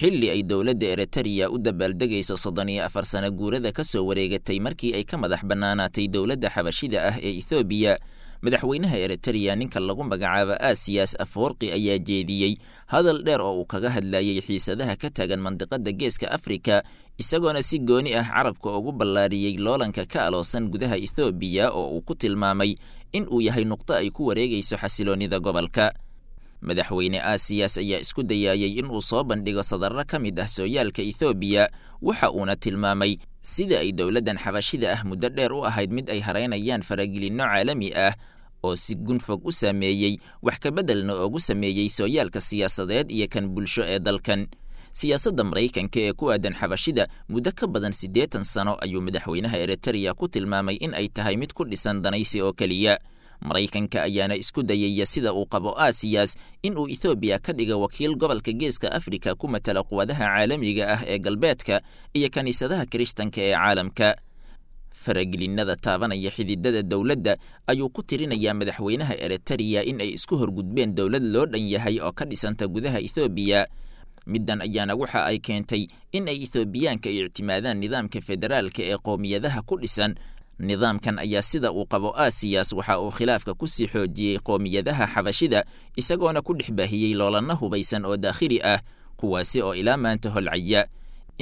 Xilli ay dowladda Eritrea u dabaaldegayso 34 sano guurada ka soo wareegatay markii ay ka madax bannaanaatay dowladda xabashida ah ee Ethoobiya, madaxweynaha Eritrea ninka lagu magacaabo Asiyas Afoorqi ayaa jeediyey hadal dheer oo uu kaga hadlayey xiisadaha ka taagan mandiqada Geeska Afrika, isagoona si gooni ah carabka ugu ballaariyey loolanka ka aloosan gudaha Ethoobiya oo uu ku tilmaamay in uu yahay nuqdo ay ku wareegayso xasiloonnida gobolka. Madaxweyne Asiyas ayaa isku dayaayey in uu soo bandhigo sadarro ka mid ah sooyaalka Ethoobiya, waxa uuna tilmaamay sida ay dowladdan xabashida ah muddo dheer u ahayd mid ay haraynayaan faragelinno caalami ah oo si gunfog u saameeyey, wax ka beddelna oogu sameeyey sooyaalka siyaasadeed iyo kan bulsho ee dalkan. Siyaasadda Maraykanka ee ku aadan xabashida muddo ka badan 80 sano ayuu madaxweynaha Eritrea ku tilmaamay in ay tahay mid ku dhisan danaysi oo keliya. Maraykanka ayaana isku dayaya, sida uu qabo Asiyas, in uu Ethoobiya ka dhiga wakiil gobolka Geeska Afrika ku matala quwadaha caalamiga ah ee galbeedka iyo kiniisadaha Kirishtanka ee caalamka. Faragelinada taabanaya xididada dowladda ayuu ku tirinayaa madaxweynaha Eritrea in ay isku horgudbeen dowlad loo dhan yahay oo ka dhisanta gudaha Ethoobiya. Middan ayaana waxa ay keentay in ay Ethoobiyaanka ictimaadaan nidaamka federaalka ee qowmiyadaha ku dhisan. Nidaamkan ayaa, sida uu qabo Asiyas, waxa uu khilaafka ku sii xoojiyey qowmiyadaha xabashida, isagoona ku dhex baahiyey loolanna hubaysan oo daakhili ah, kuwaasi oo ilaa maanta holcaya.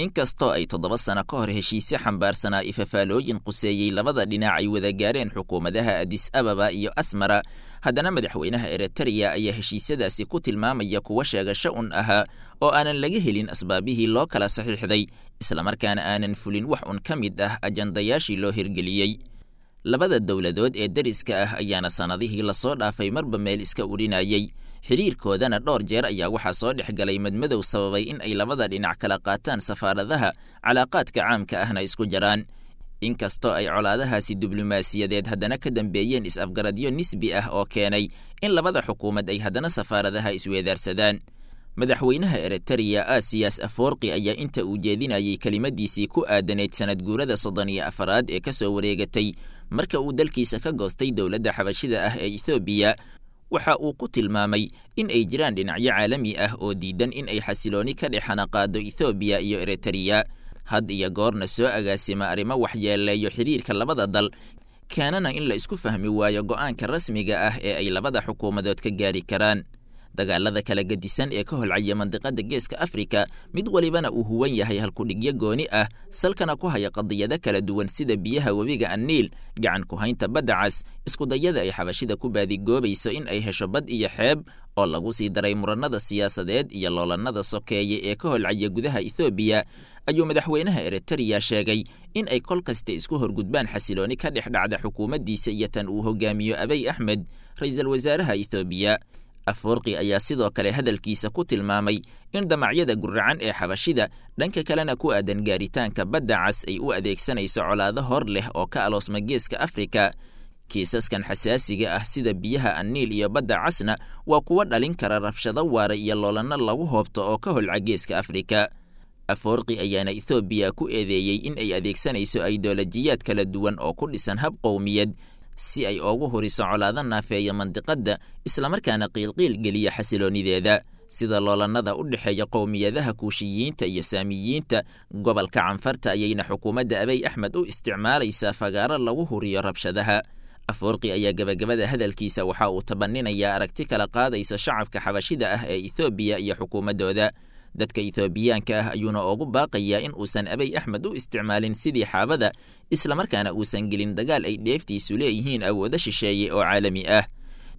Inkastoo ay 7 sano ka hor heshiisyo xambaarsanaa ifafaalooyin quseeyey labada dhinac ay wada gaareen xukuumadaha Adis Ababa iyo Asmara, haddana madaxweynaha Eritrea ayaa heshiisyadaasi ku tilmaamaya kuwa sheegasho un ahaa oo aanan laga helin asbaabihii loo kala saxiixday, islamarkaana aanan fulin wax un ka mid ah ajandayaashii loo hirgeliyey. Labada dowladood ee deriska ah ayaana sannadihii lasoo dhaafay marba meel iska urinayey, xiriirkoodana dhowr jeer ayaa waxaa soo dhex galay madmadow sababay in ay labada dhinac kala qaataan safaaradaha, calaaqaadka caamka ahna isku jaraan. Inkastoo ay colaadahaasi diblomaasiyadeed haddana ka dambeeyeen is-afgaradyo nisbi ah oo keenay in labada xukuumad ay haddana safaaradaha isweedaarsadaan. Madaxweynaha Eritrea Asiyas Afoorqi ayaa inta uu jeedinayey kelimadiisii ku aadanayd sanad guurada 34aad ee ka soo wareegatay marka uu dalkiisa ka goostay dowladda xabashida ah ee Ethoobiya, waxa uu ku tilmaamay in ay jiraan dhinacyo caalami ah oo diidan in ay xasilooni ka dhex xanaqaado Ethoobiya iyo Eritrea, had iyo goorna soo agaasima arrimo waxyeeleeyo xiriirka labada dal, keenana in la isku fahmi waayo go'aanka rasmiga ah ee ay labada xukuumadood ka gaari karaan. Dagaalada kala gedisan ee ka holcaya mandiqada Geeska Afrika, mid walibana uu huwan yahay halkudhigyo gooni ah, salkana ku haya qadiyado kala duwan sida biyaha webiga Aniil, gacan ku haynta badda cas, iskudayada ay xabashida ku baadigoobayso in ay hesho bad iyo xeeb, oo lagu sii daray murannada siyaasadeed iyo loolannada sokeeye ee ka holcaya gudaha Ethoobiya, ayuu madaxweynaha Eritrea sheegay in ay kol kasta isku horgudbaan xasilooni ka dhex dhacda xukuumaddiisa iyo tan uu hogaamiyo Abiy Axmed, ra-iisul wasaaraha Ethoobiya. Afoorqi ayaa sidoo kale hadalkiisa ku tilmaamay in damacyada guracan ee xabashida dhanka kalena ku aadan gaaritaanka badda cas ay u adeegsanayso colaado hor leh oo ka aloosma Geeska Afrika. Kiisaskan xasaasiga ah sida biyaha Aniil iyo badda casna waa kuwa dhalin kara rabshado waara iyo loolanno lagu hoobto oo ka holca Geeska Afrika. Afoorqi ayaana Ethoobiya ku eedeeyey in ay adeegsanayso aidoolojiyaad kala duwan oo ku dhisan hab qowmiyad si ay oogu huriso colaado naafeeya mandiqadda, islamarkaana qiilqiil geliya xasiloonideeda, sida loolannada u dhexeeya qowmiyadaha Kuushiyiinta iyo Saamiyiinta gobolka Canfarta ayayna xukuumadda Abiy Axmed u isticmaalaysaa fagaaro lagu huriyo rabshadaha. Afoorqi ayaa gebagabada hadalkiisa waxa uu tabaninayaa aragti kala qaadaysa shacabka xabashida ah ee Ethoobiya iyo xukuumaddooda. Dadka Ethoobiyaanka ah ayuuna ugu baaqayaa in uusan Abiy Axmed u isticmaalin sidii xaabada, islamarkaana uusan gelin dagaal ay dheeftiisu leeyihiin awoodo shisheeye oo caalami ah.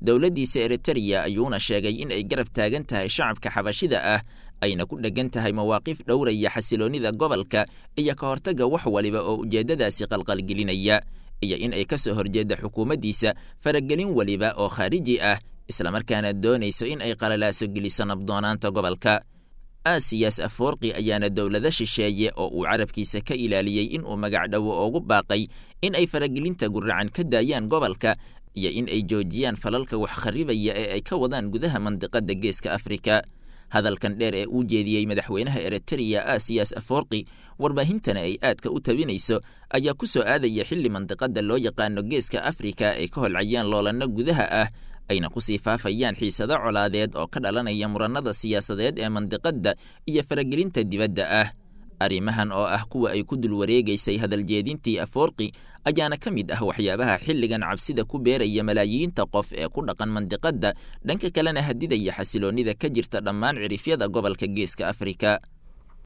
Dowladdiisa Eritrea ayuuna sheegay in ay garab taagan tahay shacabka xabashida ah, ayna ku dheggan tahay mawaaqif dhowraya xasiloonnida gobolka iyo ka hortagga wax waliba oo ujeeddadaasi qalqalgelinaya, iyo in ay ka soo horjeedda xukuumaddiisa faragelin waliba oo khaariji ah, islamarkaana doonayso in ay qalalaaso geliso nabdoonaanta gobolka. Asiyas Afoorqi ayaana dowlado shisheeye oo uu carabkiisa ka ilaaliyey in uu magac dhowo ugu baaqay in ay faragelinta guracan ka daayaan gobolka iyo in ay joojiyaan falalka wax kharibaya ee ay ka wadaan gudaha mandiqada Geeska Afrika. Hadalkan dheer ee uu jeediyey madaxweynaha Eritrea Asiyas Afoorqi, warbaahintana ay aadka u tabinayso, ayaa ku soo aadaya xilli mandiqada loo yaqaano Geeska Afrika ay ka holcayaan loolanno gudaha ah, Ayna kusii faafayaan xiisado colaadeed oo ka dhalanaya murannada siyaasadeed ee mandiqadda iyo faragelinta dibadda ah. Arrimahan oo ah kuwa ay ku dul wareegaysay hadaljeedintii Afoorqi ayaana ka mid ah waxyaabaha xilligan cabsida ku beeraya malaayiinta qof ee ku dhaqan mandiqadda, dhanka kalena hadidaya xasiloonnida ka jirta dhammaan cirifyada gobolka Geeska Afrika.